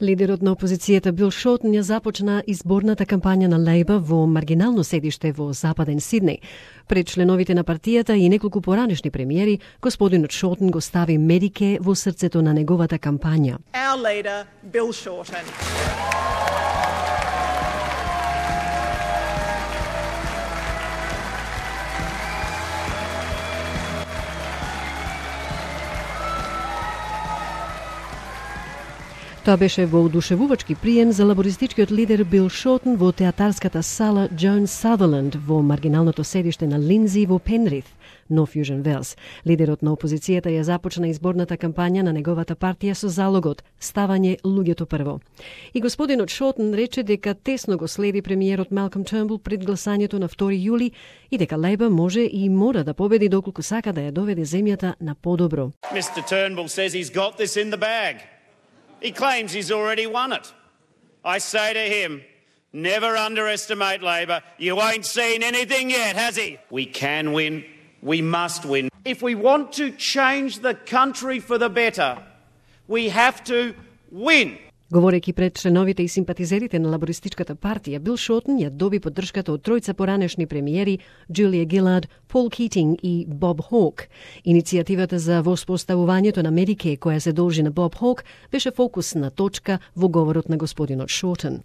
Лидерот на опозицијата Бил Шортон ја започна изборната кампања на Лейбър во маргинално седиште во Западен Сиднеј. Пред членовите на партијата и неколку поранешни премиери, господинот Шортон го стави Медикеј во срцето на неговата кампања. Our leader, Bill Shorten. Тоа беше во одушевувачки прием за лабористичкиот лидер Бил Шортон во театарската сала Джон Сазерленд во маргиналното седиште на Линдзи во Пенрith, Нов Јужен Велс. Лидерот на опозицијата ја започна изборната кампања на неговата партија со залогот ставање луѓето прво. И господинот Шортон рече дека тесно го следи премиерот Малком Тернбул пред гласањето на 2 јули и дека Лейбър може и мора да победи доколку сака да ја доведе земјата на подобро. Mr. Turnbull says he's got this in the bag. He claims he's already won it. I say to him, never underestimate Labor. You ain't seen anything yet, has he? We can win. We must win. If we want to change the country for the better, we have to win. Говорејќи пред членовите и симпатизерите на лабористичката партија, Бил Шортон ја доби поддршката од тројца поранешни премиери Джулија Гилард, Пол Китинг и Боб Хок. Иницијативата за воспоставувањето на Медикеј, која се должи на Боб Хок, беше фокусна точка во говорот на господинот Шортон.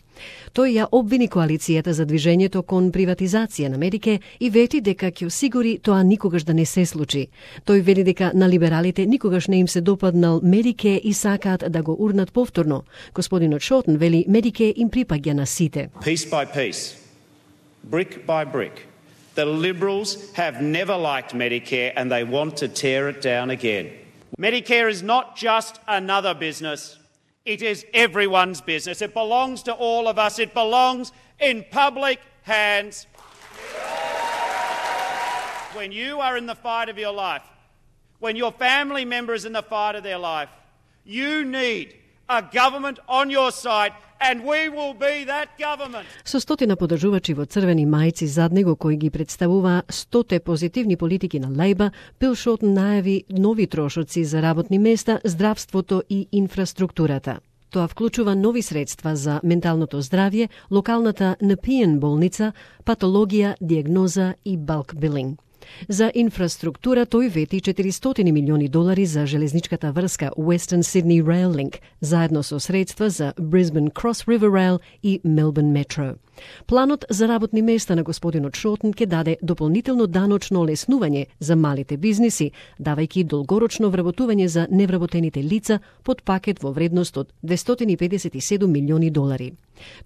Тој ја обвини коалицијата за движењето кон приватизација на Медикеј и вети дека ќе осигури тоа никогаш да не се случи. Тој вели дека на либералите никогаш не им се допаднал Медикеј и сакаат да го урнат повторно. Господинот Шортон вели Медикеј им припаѓа на сите. Piece by piece, brick by brick, the Liberals have never liked Medicare and they want to tear it down again. Medicare is not just another business. It is everyone's business. It belongs to all of us. It belongs in public hands. When you are in the fight of your life, when your family member is in the fight of their life, you need a government on your side, and we will be that government. Со стотина подржувачи во црвени мајци зад него кои ги представува 100 позитивни политики на Лейбър, Бил Шортон најави нови трошоци за работни места, здравството и инфраструктурата. Тоа вклучува нови средства за менталното здравје, локалната Nepean болница, патологија, диагноза и балк билинг. За инфраструктура тој вети $400 милиони за железничката врска Western Sydney Rail Link, заедно со средства за Brisbane Cross River Rail и Melbourne Metro. Планот за работни места на господинот Шортон ќе даде дополнително даночно олеснување за малите бизниси, давајќи долгорочно вработување за невработените лица под пакет во вредност од $257 милиони.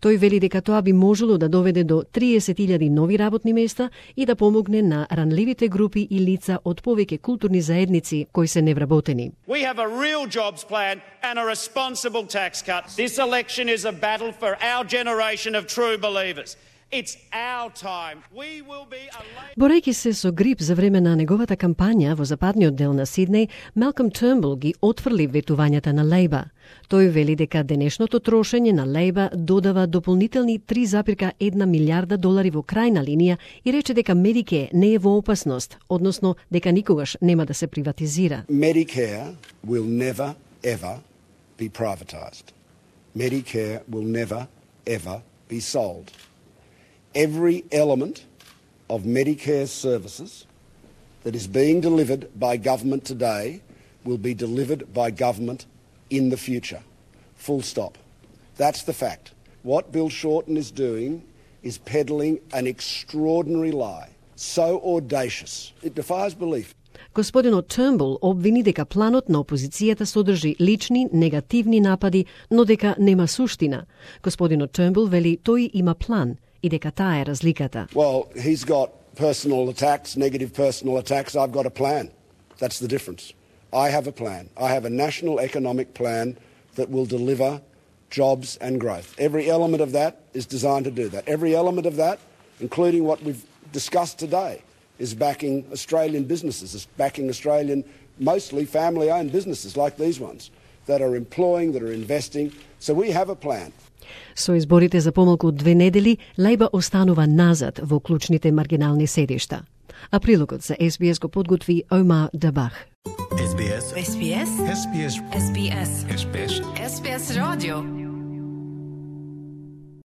Тој вели дека тоа би можело да доведе до 30,000 нови работни места и да помогне на ранливите групи и лица од повеќе културни заедници кои се невработени. We have a real jobs plan and a responsible tax cut. This election is a battle for our generation of true believers. It's our time. We will be a... Борејќи се со грип за време на неговата кампања во западниот дел на Сиднеј, Малком Тернбул ги отфрли ветувањата на Лейбър. Тој вели дека денешното трошење на Лейбър додава дополнителни $3,1 милиарда во крајна линија и рече дека Медикеј не е во опасност, односно дека никогаш нема да се приватизира. Medicare will never ever be privatized. Medicare will never ever be sold. Every element of Medicare services that is being delivered by government today will be delivered by government in the future. Full stop. That's the fact. What Bill Shorten is doing is peddling an extraordinary lie, so audacious, it defies belief. Господинот Тернбул обвини дека планот на опозицијата содржи лични, негативни напади, но дека нема суштина. Господинот Тернбул вели тој има план и дека таа е разликата. Well, he's got personal attacks, negative personal attacks. I've got a plan. That's the difference. I have a plan. I have a national economic plan that will deliver jobs and growth. Every element of that is designed to do that. Every element of that, including what we've discussed today, is backing Australian businesses, is backing Australian, mostly family-owned businesses like these ones, that are employing, that are investing. So we have a plan. Со изборите за помалку од 2 недели, Лейбър останува назад во клучните маргинални седишта. А прилогот за SBS го подготви Омар Дабах. SBS. SBS. SBS. SBS. SBS. SBS Radio.